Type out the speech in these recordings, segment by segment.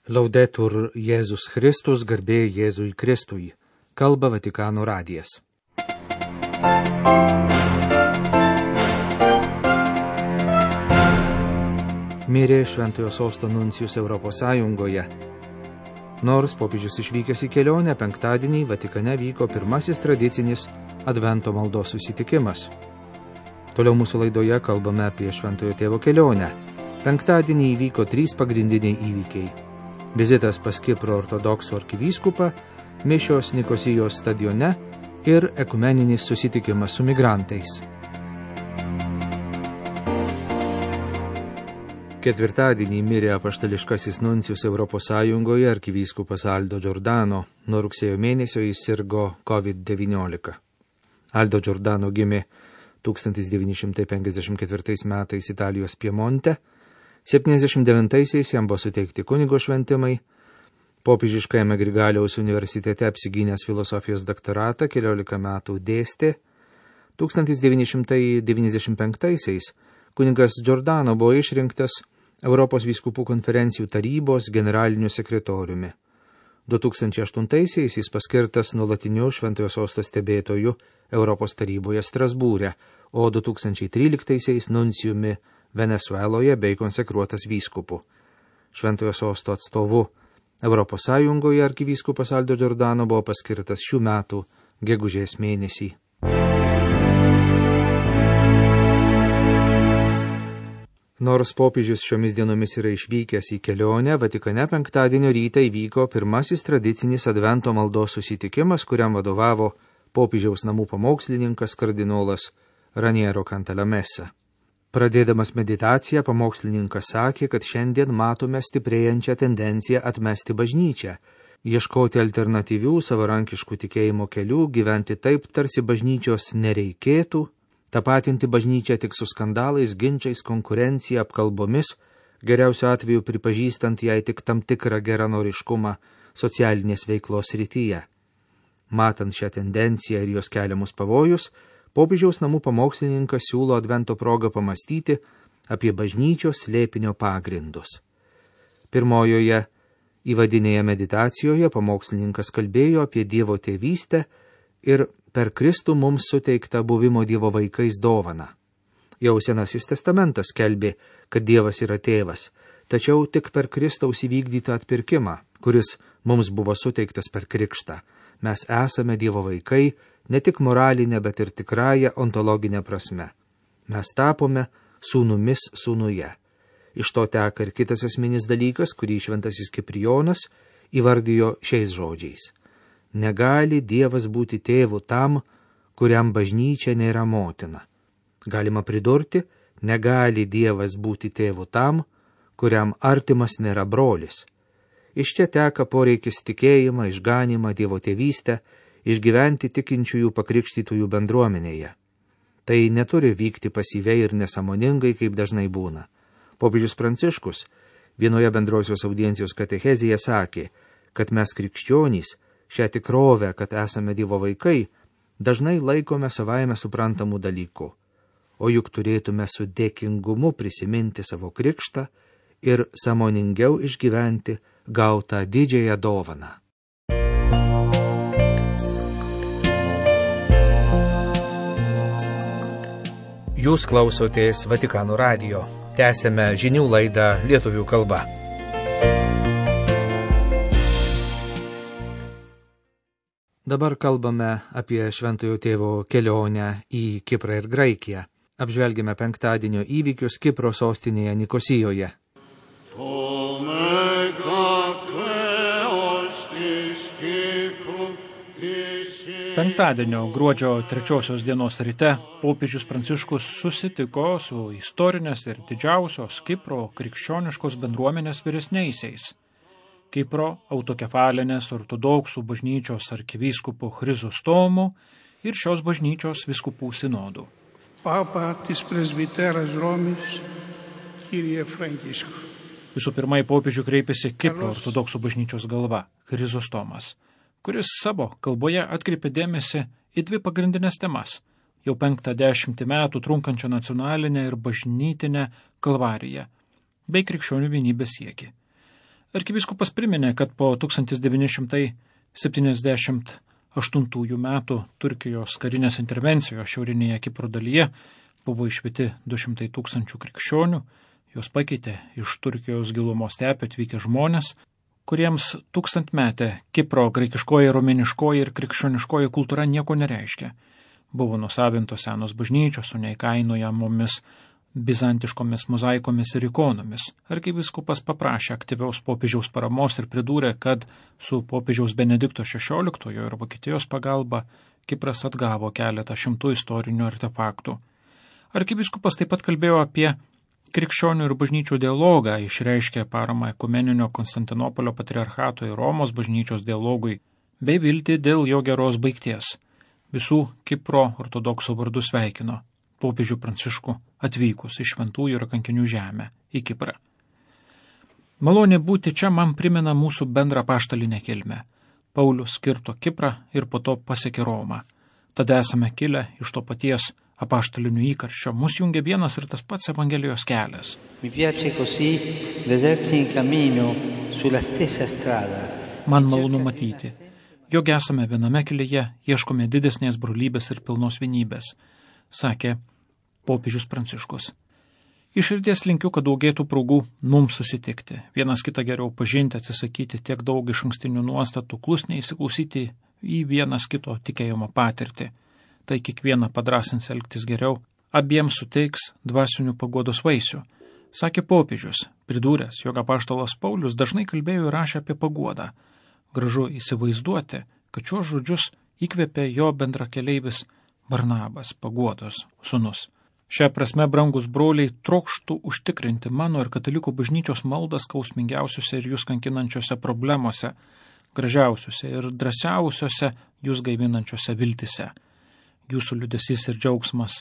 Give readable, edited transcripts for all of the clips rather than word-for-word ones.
Laudetur Jėzus Kristus, garbė Jėzui Kristui. Kalba Vatikano radijas. Mirė Šventojo Sosto nuncijus Europos Sąjungoje. Nors popiežius išvykęs į kelionę, penktadienį Vatikane vyko pirmasis tradicinis Advento maldos susitikimas. Toliau mūsų laidoje kalbame apie Šventojo Tėvo kelionę. Penktadienį įvyko 3 pagrindiniai įvykiai. Vizitas pas Kipro ortodoksų arkivyskupą, mišios Nikosijos stadione ir ekumeninis susitikimas su migrantais. Ketvirtadienį mirė apaštališkasis nuncijus Europos Sąjungoje arkivyskupas Aldo Giordano. Nuo rugsėjo mėnesio jis sirgo COVID-19. Aldo Giordano gimė 1954 metais Italijos Piemonte. 79-aisiais jam buvo suteikti kunigo šventimai. Popiežiškajame Grigaliaus universitete apsigynęs filosofijos doktoratą 14 metų dėstė. 1995-aisiais kunigas Giordano buvo išrinktas Europos vyskupų konferencijų tarybos generaliniu sekretoriumi. 2008-aisiais jis paskirtas nuolatiniu Šventojo Sosto stebėtoju Europos taryboje Strasbūre, o 2013-aisiais nuncijumi Venesueloje bei konsekruotas vyskupu. Šventojo Sosto atstovu Europos Sąjungoje arkivyskupas Aldo Giordano buvo paskirtas šių metų gegužės mėnesį. Nors popiežius šiomis dienomis yra išvykęs į kelionę, Vatikane penktadienio rytą įvyko pirmasis tradicinis Advento maldos susitikimas, kuriam vadovavo popiežiaus namų pamokslininkas kardinolas Raniero Cantalamessa. Pradėdamas meditaciją, pamokslininkas sakė, kad šiandien matome stiprėjančią tendenciją atmesti bažnyčią, ieškoti alternatyvių savarankiškų tikėjimo kelių, gyventi taip, tarsi bažnyčios nereikėtų, tapatinti bažnyčią tik su skandalais, ginčiais, konkurencija, apkalbomis, geriausiu atveju pripažįstant jai tik tam tikrą geranoriškumą socialinės veiklos srityje. Matant šią tendenciją ir jos keliamus pavojus, popiežiaus namų pamokslininkas siūlo Advento progą pamastyti apie bažnyčios slėpinio pagrindus. Pirmojoje įvadinėje meditacijoje pamokslininkas kalbėjo apie Dievo tėvystę ir per Kristų mums suteiktą buvimo Dievo vaikais dovaną. Jau Senasis testamentas skelbė, kad Dievas yra tėvas, tačiau tik per Kristaus įvykdytą atpirkimą, kuris mums buvo suteiktas per krikštą. Mes esame Dievo vaikai, ne tik moralinė, bet ir tikrąją ontologinę prasme. Mes tapome sūnumis sūnuje. Iš to teka ir kitas esminis dalykas, kurį šventasis Kiprijonas įvardijo šiais žodžiais. Negali Dievas būti tėvu tam, kuriam bažnyčia nėra motina. Galima pridurti, negali Dievas būti tėvu tam, kuriam artimas nėra brolis. Iš čia teka poreikis tikėjimą, išganymą, Dievo tėvystę, išgyventi tikinčiųjų pakrikštytųjų bendruomenėje. Tai neturi vykti pasyviai ir nesąmoningai, kaip dažnai būna. Popiežius Pranciškus vienoje bendrosios audiencijos katechezėje sakė, kad mes krikščionys šią tikrovę, kad esame Dievo vaikai, dažnai laikome savaime suprantamų dalykų, o juk turėtume su dėkingumu prisiminti savo krikštą ir sąmoningiau išgyventi gautą didžiąją dovaną. Jūs klausotės Vatikano radijo. Tęsiame žinių laidą lietuvių kalba. Dabar kalbame apie Šventojo Tėvo kelionę į Kiprą ir Graikiją. Apžvelgime penktadienio įvykius Kipro sostinėje Nikosijoje. Penktadienio gruodžio 3 dienos ryte popiežius Pranciškus susitiko su istorinės ir didžiausios Kipro krikščioniškos bendruomenės vyresniaisiais, Kipro autokefalinės ortodoksų bažnyčios arkivyskupu Chrizostomu ir šios bažnyčios vyskupų sinodų. Papa tis presbiteras Romis, Kyrie Frankiškų. Visų pirma, į popiežių kreipėsi Kipro ortodoksų bažnyčios galva Chrizostomas, kuris savo kalboje atkreipė dėmesį į 2 pagrindinės temas – jau 50 metų trunkančią nacionalinę ir bažnytinę kalvariją bei krikščionių vienybės siekį. Arkivyskupas priminė, kad po 1978 metų Turkijos karinės intervencijos šiaurinėje Kipro dalyje buvo išvyti 200 000 krikščionių, jos pakeitė iš Turkijos gilumo stepių atvykę žmonės, kuriems tūkstantmetė Kipro graikiškoji, romėniškoji ir krikščioniškoji kultūra nieko nereiškia. Buvo nusavintos senos bažnyčios su neįkainojamomis bizantiškomis mozaikomis ir ikonomis. Arkivyskupas paprašė aktyviaus popiežiaus paramos ir pridūrė, kad su popiežiaus Benedikto XVI ir Vokietijos pagalba Kipras atgavo keletą šimtų istorinių artefaktų. Arkivyskupas taip pat kalbėjo apie krikščionių ir bažnyčių dialogą, išreiškė paramą ekumeninio Konstantinopolio patriarchato ir Romos bažnyčios dialogui, bei viltį dėl jo geros baigties. Visų Kipro ortodoksų vardu sveikino popiežių Pranciškų atvykus iš šventųjų ir kankinių žemę į Kiprą. Malonė būti čia man primena mūsų bendrą apaštalinę kilmę. Paulius kirto Kiprą ir po to pasiekė Romą. Tada esame kilę iš to paties apaštalinių įkarščio. Mus jungia vienas ir tas pats Evangelijos kelias. Man malonu matyti, jog esame viename kelyje, ieškome didesnės brolybės ir pilnos vienybės, sakė popiežius Pranciškus. Iš širdies linkiu, kad daugėtų progų mums susitikti, vienas kitą geriau pažinti, atsisakyti tiek daug išankstinių nuostatų, klusniai įsiklausyti į vienas kito tikėjimo patirtį. Tai kiekvieną padrasins elgtis geriau, abiems suteiks dvasinių paguodos vaisių, sakė popiežius, pridūręs, jog apaštalas Paulius dažnai kalbėjo ir rašė apie paguodą. Gražu įsivaizduoti, kad šiuos žodžius įkvėpė jo bendrakeleivis Barnabas, paguodos sūnus. Šią prasme, brangus broliai, trokštų užtikrinti mano ir katalikų bažnyčios maldą skausmingiausiuose ir jūs kankinančiuose problemuose, gražiausiuose ir drąsiausiuose jūs gaivinančiuose viltise. Jūsų liūdesys ir džiaugsmas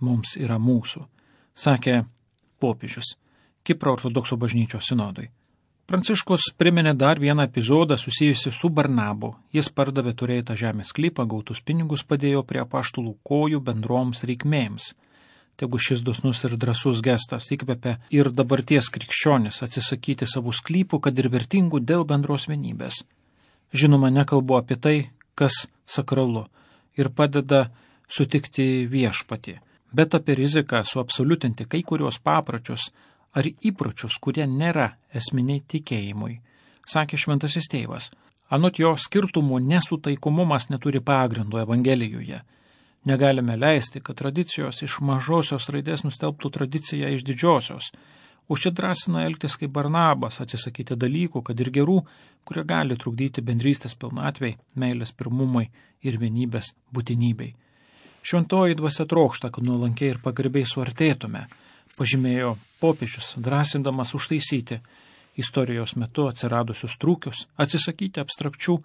mums yra mūsų, sakė popiežius Kipro ortodoksų bažnyčios sinodui. Pranciškus priminė dar vieną epizodą susijusi su Barnabu. Jis pardavė turėtą žemės sklypą, gautus pinigus padėjo prie apaštalų kojų bendroms reikmėms. Tegu šis dosnus ir drąsus gestas įkvepia ir dabarties krikščionis atsisakyti savų sklypų, kad ir vertingų dėl bendros vienybės. Žinoma, nekalbu apie tai, kas sakralu ir padeda sutikti viešpatį, bet apie riziką suabsoliutinti kai kurios papročius ar įpročius, kurie nėra esminiai tikėjimui, sakė šventasis tėvas. Anot jo skirtumų nesutaikomumas neturi pagrindo Evangelijoje. Negalime leisti, kad tradicijos iš mažosios raidės nustelbtų tradiciją iš didžiosios. Užsidrasina elgtis kaip Barnabas, atsisakyti dalykų, kad ir gerų, kurie gali trukdyti bendrystės pilnatvei, meilės pirmumui ir vienybės būtinybei. Šventoji dvasia trokšta, kad nuolankiai ir pagarbiai suartėtume, pažymėjo popiežius, drąsindamas užtaisyti istorijos metu atsiradusius trūkius, atsisakyti abstrakčių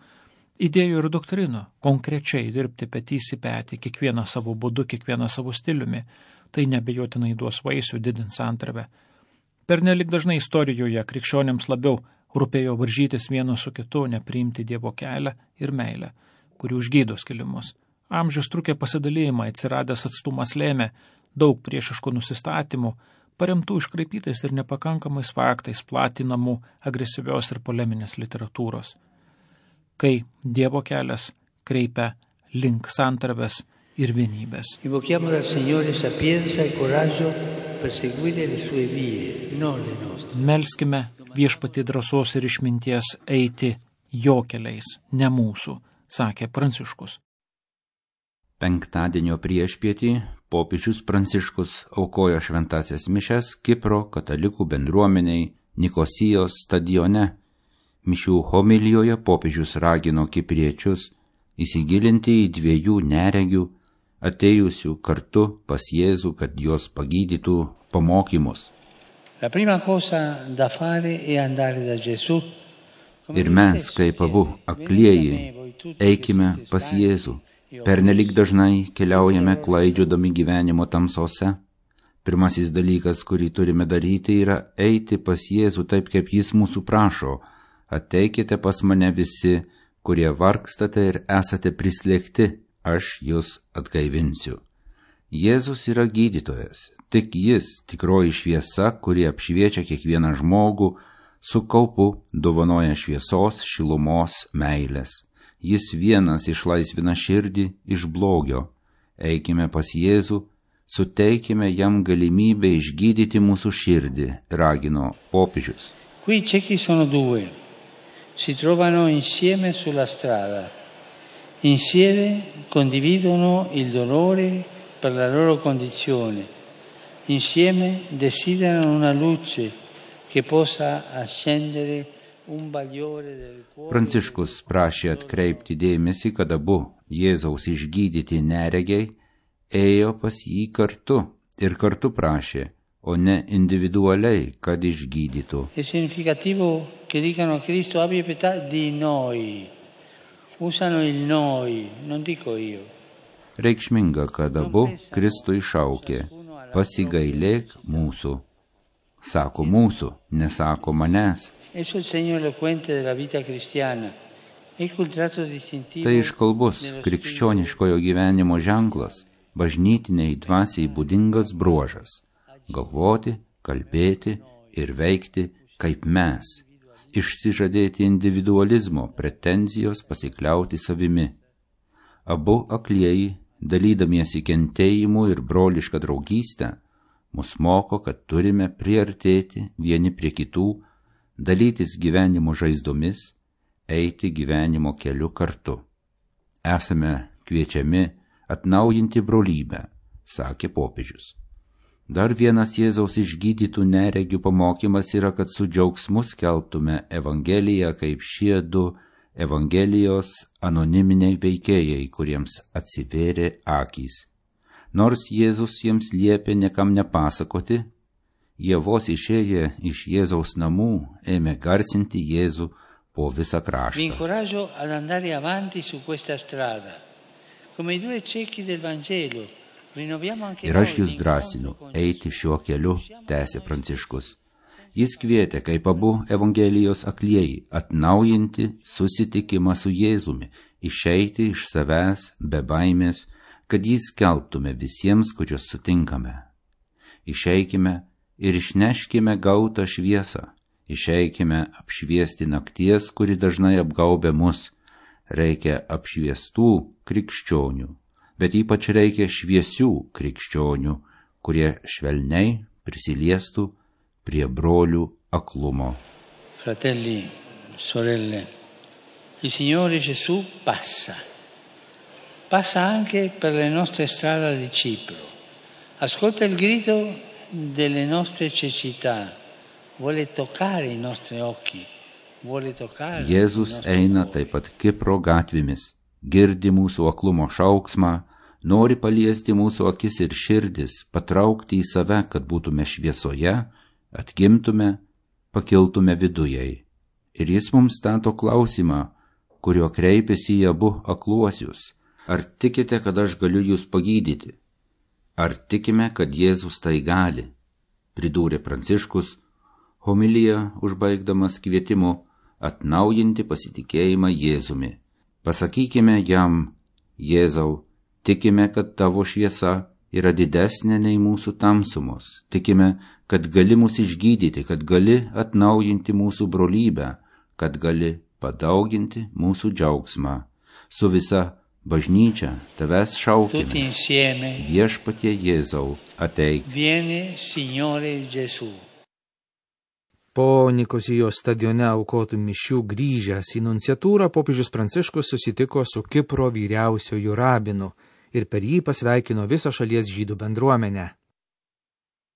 idėjų ir doktrinų, konkrečiai dirbti petys į petį, kiekvieną savo būdu, kiekvieną savo stiliumi, tai nebejotinai duos vaisių, didins santarvę. Pernelik dažnai istorijoje krikščionėms labiau rūpėjo varžytis vienas su kitu, nepriimti Dievo kelią ir meilę, kuri užgydo skilimus. Amžius trukė pasidalėjimą, atsiradęs atstumas lėmė daug priešiškų nusistatymų, paremtų iškraipytais ir nepakankamais faktais platinamų agresyvios ir poleminės literatūros. Kai Dievo kelias kreipia link santarvės ir vienybės. Melskime viešpatį drąsos ir išminties eiti jo keliais, ne mūsų, sakė Pranciškus. Penktadienio priešpietį popiežius Pranciškus aukojo šventąsias mišias Kipro katalikų bendruomeniai Nikosijos stadione. Mišių homilijoje popiežius ragino kipriečius įsigilinti į dviejų neregių, atėjusių kartu pas Jėzų, kad juos pagydytų pamokymus. Ir mes, kaip abu aklieji, eikime pas Jėzų. Pernelyg dažnai keliaujame klaidžiodami gyvenimo tamsose. Pirmasis dalykas, kurį turime daryti, yra eiti pas Jėzų taip, kaip jis mūsų prašo. Ateikite pas mane visi, kurie vargstate ir esate prislėgti, aš jūs atgaivinsiu. Jėzus yra gydytojas, tik jis tikroji šviesa, kuri apšviečia kiekvieną žmogų, Su kaupu dovanoja šviesos, šilumos, meilės. Jis vienas išlaisvina širdį iš blogio. Eikime pas Jėzų, suteikime jam galimybę išgydyti mūsų širdį, ragino popiežius. Qui ciechi sono due, si trovano insieme sulla strada, insieme condividono il dolore per la loro condizione, insieme desiderano una luce che possa accendere un bagliore del cuore. Pranciškus prašė atkreipti dėmesį, kad abu Jėzaus išgydyti neregiai ėjo pas jį kartu ir kartu prašė, o ne individualiai, kad išgydytų. È significativo che dicano a Cristo abbia pietà di noi. Usano il noi, non dico io. Reikšminga, kad abu Kristų išaukė, pasigailėk mūsų. Sako mūsų, nesako manęs. Esso il segno eloquente della vita cristiana. Ecco il tratto distintivo. Tai iškalbus krikščioniškojo gyvenimo ženklas, bažnytiniai dvasiai būdingas bruožas – galvoti, kalbėti ir veikti kaip mes, išsižadėti individualizmo, pretenzijos pasikliauti savimi. Abu aklieji, dalydamiesi kentėjimu ir brolišką draugystę, mus moko, kad turime priartėti vieni prie kitų, dalytis gyvenimo žaizdomis, eiti gyvenimo keliu kartu. Esame kviečiami atnaujinti brolybę, sakė popiežius. Dar vienas Jėzaus išgydytų neregių pamokymas yra, kad su džiaugsmu skelbtume Evangeliją kaip šie du Evangelijos anoniminiai veikėjai, kuriems atsivėrė akys. Nors Jėzus jiems liepė niekam nepasakoti, jie vos išėję iš Jėzaus namų ėmė garsinti Jėzų po visą kraštą. Vi incoraggio ad andare avanti su questa strada. Come I due ciechi del Vangelo, rinnoviamo anche noi. Ir aš jūs drąsinu eiti šiuo keliu, tęsė Pranciškus. Jis kvietė, kaip abu Evangelijos aklieji, atnaujinti susitikimą su Jėzumi, išeiti iš savęs be baimės, kad jį skelbtume visiems, kuriuos sutinkame. Išeikime ir išneškime gautą šviesą, išeikime apšviesti nakties, kuri dažnai apgaubia mus. Reikia apšviestų krikščionių, bet ypač reikia šviesių krikščionių, kurie švelniai prisiliestų prie brolių aklumo. Fratelli, sorelle, il Signore Gesù passa anche per le nostre strade di Cipro. Ascolta il grido delle nostre cecità, vuole toccare I nostri occhi, vuole toccare. Jėzus eina taip pat Kipro gatvėmis, girdi mūsų aklumo šauksmą, nori paliesti mūsų akis ir širdis, patraukti į save, kad būtume šviesoje, atgimtume, pakiltume vidujai. Ir jis mums stato klausimą, kurio kreipiasi į abu akluosius. Ar tikite, kad aš galiu jūs pagydyti? Ar tikime, kad Jėzus tai gali? Pridūrė Pranciškus, homiliją užbaigdamas kvietimu atnaujinti pasitikėjimą Jėzumi. Pasakykime jam, Jėzau, tikime, kad tavo šviesa yra didesnė nei mūsų tamsumos. Tikime, kad gali mus išgydyti, kad gali atnaujinti mūsų brolybę, kad gali padauginti mūsų džiaugsmą. Su visa bažnyčia tavęs šaukime. Viešpatie Jėzau, ateik. Vieni, Signore Gesù. Po Nikosijos stadione aukotų mišių grįžęs į nunciatūrą, popiežius Pranciškus susitiko su Kipro vyriausiuoju rabinu ir per jį pasveikino visą šalies žydų bendruomenę.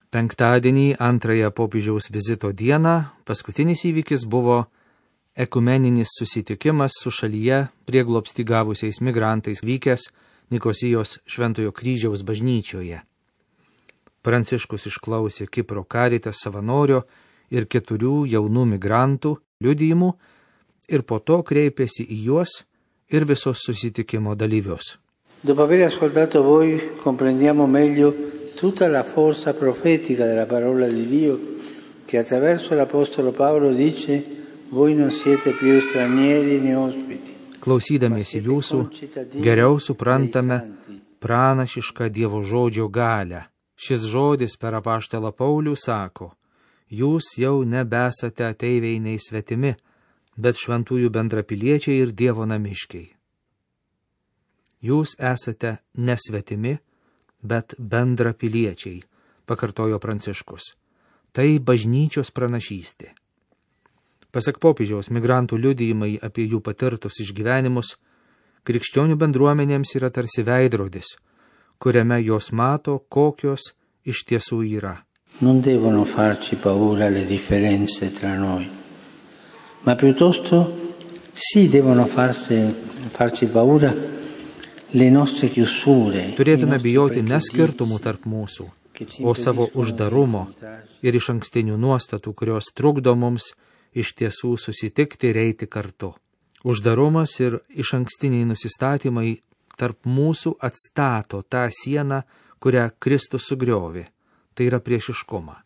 Penktadienį, antrąją popiežiaus vizito dieną, paskutinis įvykis buvo ekumeninis susitikimas su šalyje prieglobstį gavusiais migrantais vykęs Nikosijos Šventojo kryžiaus bažnyčioje. Pranciškus išklausė Kipro Caritas savanorio ir 4 jaunų migrantų liudijimų ir po to kreipėsi į juos ir visus susitikimo dalyvius. Dopo aver ascoltato voi, comprendiamo meglio tutta la forza profetica della parola di Dio che attraverso l'Apostolo Paolo dice: voi non siete più stranieri né ospiti. Klausydamiesi jūsų, geriau suprantame pranašišką Dievo žodžio galią. Šis žodis per apaštalą Paulių sako: jūs jau nebesate ateiviai nei svetimi, bet šventųjų bendrapiliečiai ir Dievo namiškiai. Jūs esate nesvetimi, bet bendrapiliečiai, pakartojo Pranciškus. Tai bažnyčios pranašystė. Pasak popiežiaus, migrantų liudijimai apie jų patirtus išgyvenimus krikščionių bendruomenėms yra tarsi veidrodis, kuriame jos mato, kokios iš tiesų yra. Non devono farci paura le differenze tra noi, ma piuttosto sì devono farci paura le nostre chiusure. Turėtume bijoti ne skirtumų tarp mūsų, o savo uždarumo ir išankstinių nuostatų, kurios trukdo mums iš tiesų susitikti ir eiti kartu. Uždarumas ir išankstiniai nusistatymai tarp mūsų atstato tą sieną, kurią Kristus sugriovė. Tai yra priešiškumą.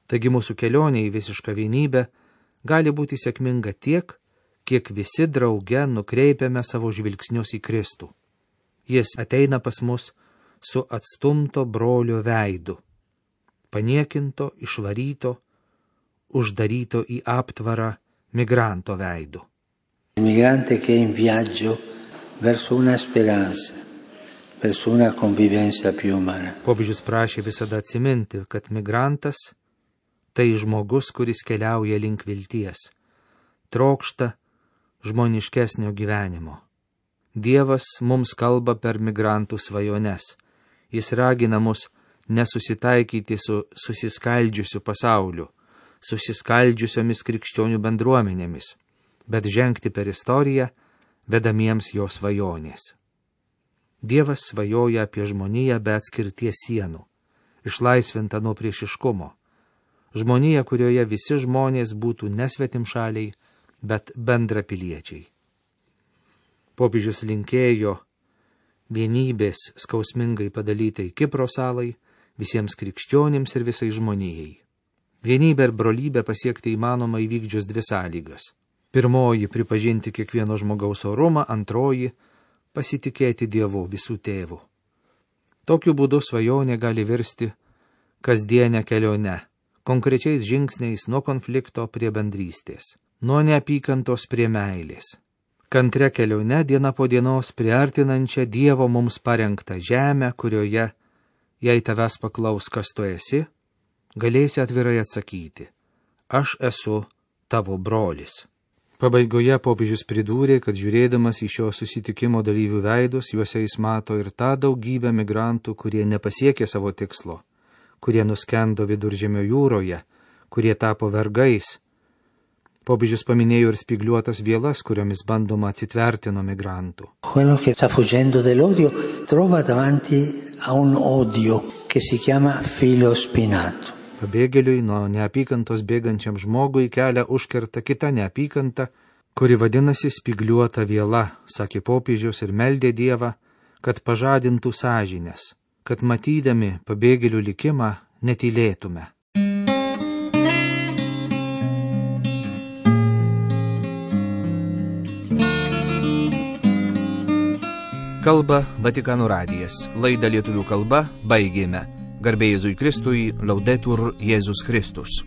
Taigi mūsų kelionė į visišką vienybę gali būti sėkminga tiek, kiek visi drauge nukreipiame savo žvilgsnius į Kristų. Jis ateina pas mus su atstumto brolio veidu, paniekinto, išvaryto, uždaryto į aptvarą migranto veidu. Il migrante che è in viaggio verso una speranza, verso una convivenza più umana. Popiežius prašė visada atsiminti, kad migrantas tai žmogus, kuris keliauja link vilties, trokšta žmoniškesnio gyvenimo. Dievas mums kalba per migrantų svajones. Jis ragina mus nesusitaikyti su susiskaldžiusiu pasauliu, susiskaldžiusiomis krikščionių bendruomenėmis, bet žengti per istoriją, vedamiems jo svajonės. Dievas svajoja apie žmoniją be atskirties sienų, išlaisvinta nuo priešiškumo. Žmonija, kurioje visi žmonės būtų nesvetimšaliai, bet bendrapiliečiai. Popiežius linkėjo vienybės skausmingai padalytai Kipro salai, visiems krikščionims ir visai žmonijai. Vienybę ir brolybę pasiekti įmanoma įvykdžius dvi sąlygas. Pirmoji – pripažinti kiekvieno žmogaus orumą, antroji – pasitikėti Dievu visų tėvų. Tokiu būdu svajonė gali virsti kasdienę kelionę, konkrečiais žingsniais nuo konflikto prie bendrystės, nuo neapykantos prie meilės. Kantre kelionė diena po dienos priartinančią Dievo mums parengtą žemę, kurioje, jei tavęs paklaus, kas tu esi, galėsi atvirai atsakyti: aš esu tavo brolis. Pabaigoje popiežius pridūrė, kad žiūrėdamas į šio susitikimo dalyvių veidus, juose jis mato ir tą daugybę migrantų, kurie nepasiekė savo tikslo, kurie nuskendo Viduržemio jūroje, kurie tapo vergais. Popiežius paminėjo ir spygliuotas vielas, kuriomis bandoma atsitverti nuo migrantų. Quello che sta fuggendo dell'odio trova davanti a un odio che si chiama filo spinato. Pabėgėliui nuo neapykantos bėgančiam žmogui kelią užkerta kita neapykanta, kuri vadinasi spygliuota viela, sakė popiežius ir meldė Dievą, kad pažadintų sąžinės, kad matydami pabėgėlių likimą netylėtume. Kalba Vatikano radijas. Laidą lietuvių kalba baigėme. Garbė Jėzui Kristui, Laudetur Jėzus Kristus.